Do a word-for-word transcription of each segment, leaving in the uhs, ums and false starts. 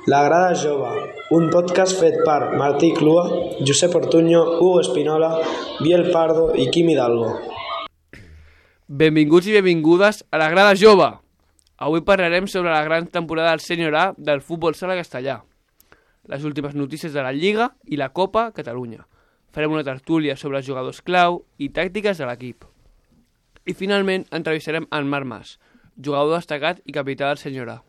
La Grada Jove, un podcast fet per Martí Clua, Josep Ortuño, Hugo Espinola, Biel Pardo i Quim Hidalgo. Benvinguts i benvingudes a La Grada Jove. Avui parlarem sobre la gran temporada del Sènior A del futbol sala castellà, les últimes notícies de la Lliga i la Copa Catalunya. Farem una tertúlia sobre els jugadors clau i tàctiques de l'equip. I finalment entrevistarem en Marc Mas, jugador destacat i capità del Sènior A.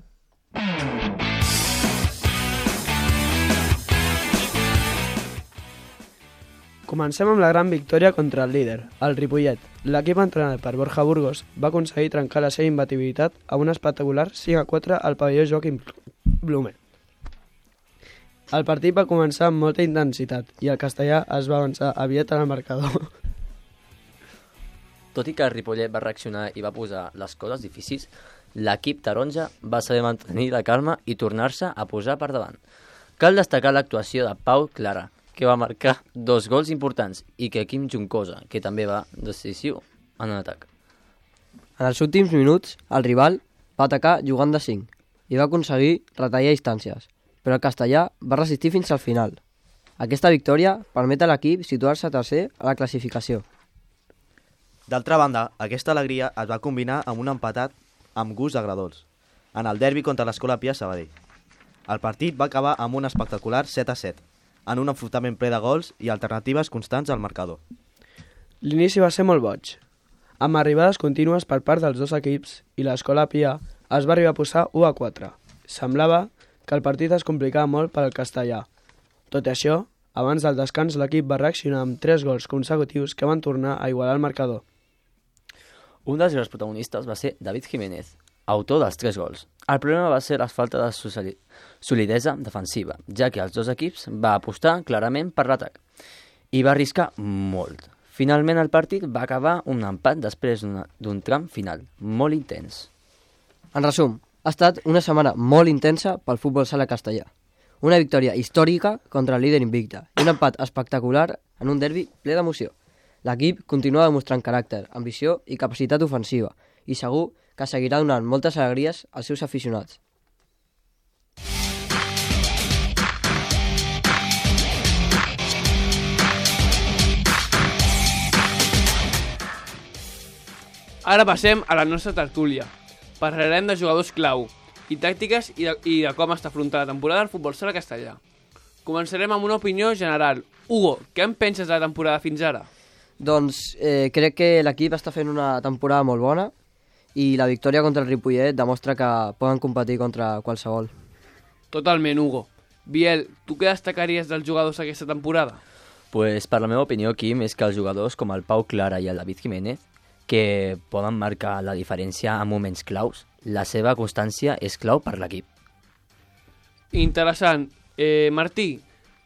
Comencem amb la gran victòria contra el líder, el Ripollet. L'equip entrenat per Borja Burgos va aconseguir trencar la seva imbatibilitat a un espectacular cinc a quatre al pavelló Joaquim Blume. El partit va començar amb molta intensitat i el castellà es va avançar aviat en el marcador. Tot i que el Ripollet va reaccionar i va posar les coses difícils, l'equip taronja va saber mantenir la calma i tornar-se a posar per davant. Cal destacar l'actuació de Pau Clara, que va marcar dos gols importants, i que Quim Juncosa, que també va decisiu en l'atac. En els últims minuts, el rival va atacar jugant de cinc i va aconseguir retallar distàncies, però el castellà va resistir fins al final. Aquesta victòria permet a l'equip situar-se tercer a la classificació. D'altra banda, aquesta alegria es va combinar amb un empatat amb gust agradolç, en el derbi contra l'Escola Pia Sabadell. El partit va acabar amb un espectacular set a set, en un enfrontament ple de gols i alternatives constants al marcador. L'inici va ser molt boig, amb arribades contínues per part dels dos equips i l'Escola Pia es va arribar a posar u a quatre. Semblava que el partit es complicava molt per al castellà. Tot i això, abans del descans l'equip va reaccionar amb tres gols consecutius que van tornar a igualar el marcador. Un dels grans protagonistes va ser David Jiménez, autor dels tres gols. El problema va ser la falta de solidesa defensiva, ja que els dos equips va apostar clarament per l'atac i va arriscar molt. Finalment el partit va acabar un empat després d'un tram final molt intens. En resum, ha estat una setmana molt intensa pel futbol sala castellà. Una victòria històrica contra el líder invicte i un empat espectacular en un derbi ple d'emoció. L'equip continua demostrant caràcter, ambició i capacitat ofensiva i segur que seguirà donant moltes alegries als seus aficionats. Ara passem a la nostra tertúlia. Parlarem de jugadors clau i tàctiques i de, i de com està afrontada la temporada del futbol sala castellà. Començarem amb una opinió general. Hugo, què en penses de la temporada fins ara? Doncs eh, crec que l'equip està fent una temporada molt bona i la victòria contra el Ripollet demostra que poden competir contra qualsevol. Totalment, Hugo. Biel, tu què destacaries dels jugadors aquesta temporada? Pues, per la meva opinió, Quim, és que els jugadors com el Pau Clara i el David Jiménez, que poden marcar la diferència en moments claus, la seva constància és clau per l'equip. Interessant. Eh, Martí,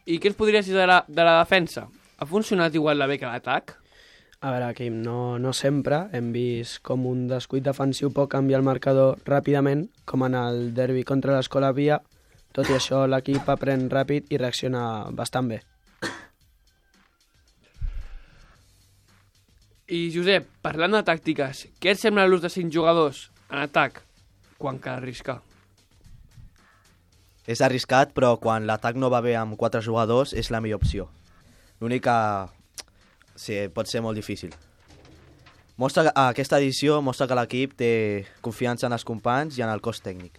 i què ens podries dir de la, de la defensa? Ha funcionat igual de bé que l'atac? A veure, Quim, no, no sempre hem vist com un descuit defensiu pot canviar el marcador ràpidament, com en el derbi contra l'Escola Pia. Tot i això, l'equip aprèn ràpid i reacciona bastant bé. I Josep, parlant de tàctiques, què et sembla l'ús de cinc jugadors en atac quan cal arriscar? És arriscat, però quan l'atac no va bé amb quatre jugadors és la millor opció. L'única... sí, pot ser molt difícil. Mostra, aquesta edició mostra que l'equip té confiança en els companys i en el cos tècnic.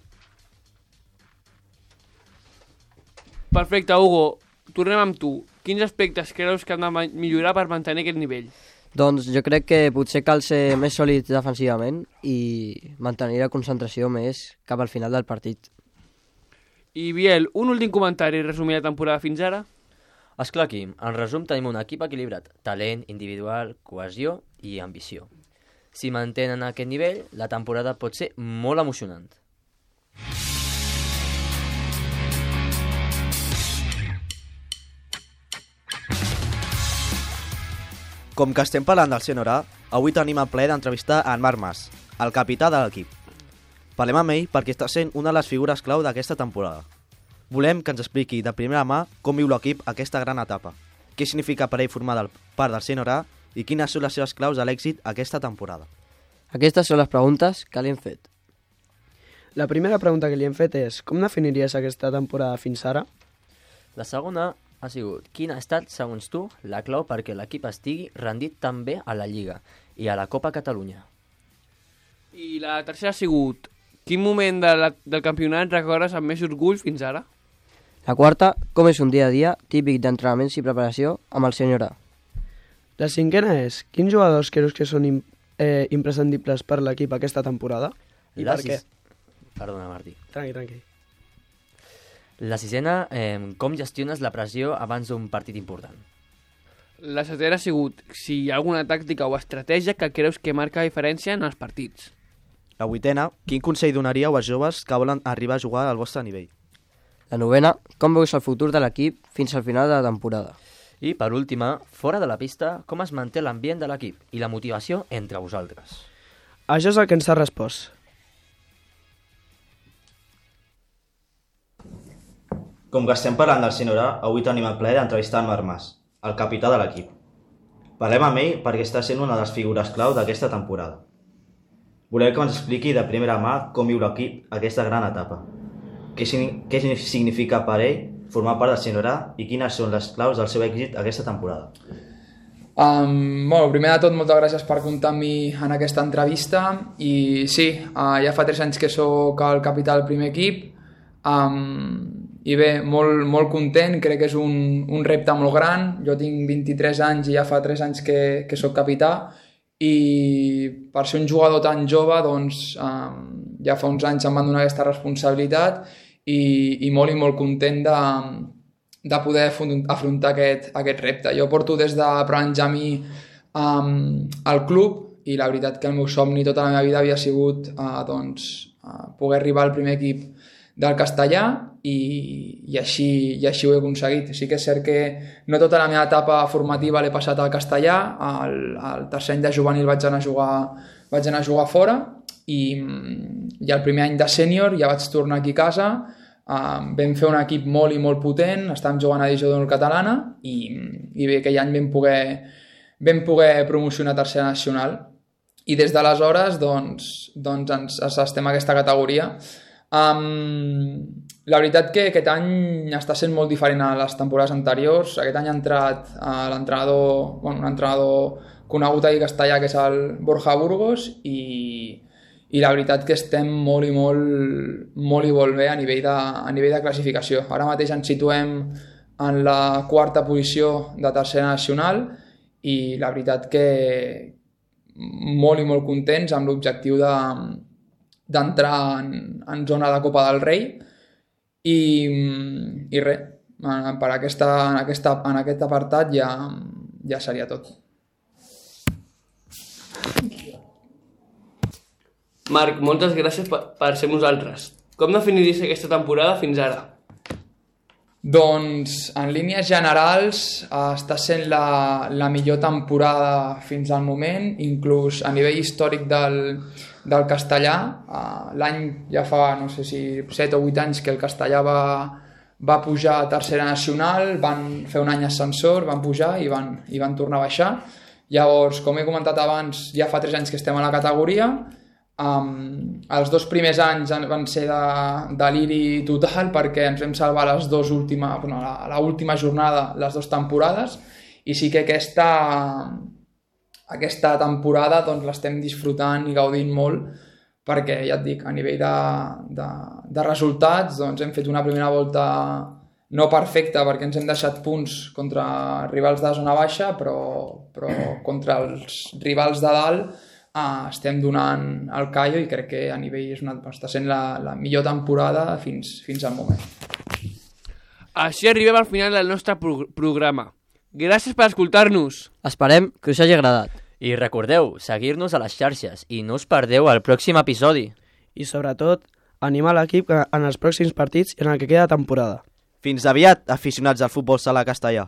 Perfecte, Hugo. Tornem amb tu. Quins aspectes creus que han de millorar per mantenir aquest nivell? Doncs jo crec que potser cal ser més sòlids defensivament i mantenir la concentració més cap al final del partit. I Biel, un últim comentari resumir la temporada fins ara? Esclar, Quim, en resum tenim un equip equilibrat, talent individual, cohesió i ambició. Si mantenen aquest nivell, la temporada pot ser molt emocionant. Com que estem parlant del Sènior A, avui tenim el plaer d'entrevistar en Marc Mas, el capità de l'equip. Parlem amb ell perquè està sent una de les figures clau d'aquesta temporada. Volem que ens expliqui de primera mà com viu l'equip aquesta gran etapa, què significa per ell formar del, part del Sènior A i quines són les seves claus a l'èxit aquesta temporada. Aquestes són les preguntes que li hem fet. La primera pregunta que li hem fet és com definiries aquesta temporada fins ara? La segona ha sigut quina ha estat, segons tu, la clau perquè l'equip estigui rendit tan bé a la Lliga i a la Copa Catalunya. I la tercera ha sigut quin moment de la, del campionat recordes amb més orgull fins ara? La quarta, com és un dia a dia típic d'entrenaments i preparació amb el senyor A. La cinquena és quins jugadors creus que són im eh, imprescindibles per l'equip aquesta temporada? I La per què? sis- Perdona, Martí. Tranqui, tranqui. La sisena, eh, com gestiones la pressió abans d'un partit important? La setena ha sigut si hi ha alguna tàctica o estratègia que creus que marca diferència en els partits. La vuitena, quin consell donaríeu als joves que volen arribar a jugar al vostre nivell? La novena, com veus el futur de l'equip fins al final de la temporada? I, per última, fora de la pista, com es manté l'ambient de l'equip i la motivació entre vosaltres? Això és el que ens ha respost. Com que estem parlant del senyor A, avui tenim el plaer d'entrevistar en Marc Mas, el capità de l'equip. Parlem amb ell perquè està sent una de les figures clau d'aquesta temporada. Volem que ens expliqui de primera mà com viu l'equip aquesta gran etapa. Què, què significa per ell formar part del senyor A i quines són les claus del seu èxit aquesta temporada. Um, bueno, primer de tot, moltes gràcies per comptar amb mi en aquesta entrevista i sí, uh, ja fa tres anys que sóc el capità del primer equip um, i bé, molt, molt content, crec que és un, un repte molt gran. Jo tinc vint-i-tres anys i ja fa tres anys que, que sóc capità i per ser un jugador tan jove doncs um, ja fa uns anys em van donar aquesta responsabilitat i, i molt i molt content de, de poder afrontar aquest, aquest repte. Jo porto des de Benjamí um, al club i la veritat que el meu somni tota la meva vida havia sigut uh, doncs, uh, poder arribar al primer equip del castellà i, i, així, i així ho he aconseguit. Sí que és cert que no tota la meva etapa formativa l'he passat al castellà, al, al tercer any de juvenil vaig anar a jugar, vaig anar a jugar fora i, i el primer any de sènior ja vaig tornar aquí a casa, uh, vam fer un equip molt i molt potent, estàvem jugant a divisió d'honor catalana i, i bé, aquell any vam poder, vam poder promocionar a tercera nacional i des d'aleshores doncs, doncs ens, ens estem a aquesta categoria. Um, la veritat que aquest any està sent molt diferent a les temporades anteriors. Aquest any ha entrat uh, l'entrenador, bueno, un entrenador conegut aquí a Castellà que és el Borja Burgos i, i la veritat que estem molt i molt, molt i molt bé a nivell, de, a nivell de classificació. Ara mateix ens situem en la quarta posició de tercera nacional i la veritat que molt i molt contents amb l'objectiu de d'entrar en, en zona de Copa del Rei i, i res, per aquesta, en, aquesta, en aquest apartat ja, ja seria tot. Marc, moltes gràcies per, per ser amb nosaltres. Com definiries aquesta temporada fins ara? Doncs, en línies generals, eh, està sent la, la millor temporada fins al moment, inclús a nivell històric del, del castellà. Uh, l'any ja fa, no sé si set o vuit anys que el castellà va, va pujar a tercera nacional, van fer un any ascensor, van pujar i van, i van tornar a baixar. Llavors, com he comentat abans, ja fa tres anys que estem a la categoria. Um, els dos primers anys van ser de deliri total perquè ens vam salvar les dues últimes, bueno, a la última jornada les dues temporades i sí que aquesta aquesta temporada doncs, l'estem disfrutant i gaudint molt perquè, ja et dic, a nivell de, de, de resultats doncs, hem fet una primera volta no perfecta perquè ens hem deixat punts contra rivals de zona baixa però, però contra els rivals de dalt uh, estem donant el callo i crec que a nivell és una, està sent la, la millor temporada fins, fins al moment. Així arribem al final del nostre pro programa. Gràcies per escoltar-nos. Esperem que us hagi agradat. I recordeu, seguir-nos a les xarxes i no us perdeu el pròxim episodi. I sobretot, animar l'equip en els pròxims partits i en el que queda temporada. Fins aviat, aficionats al futbol sala castellà.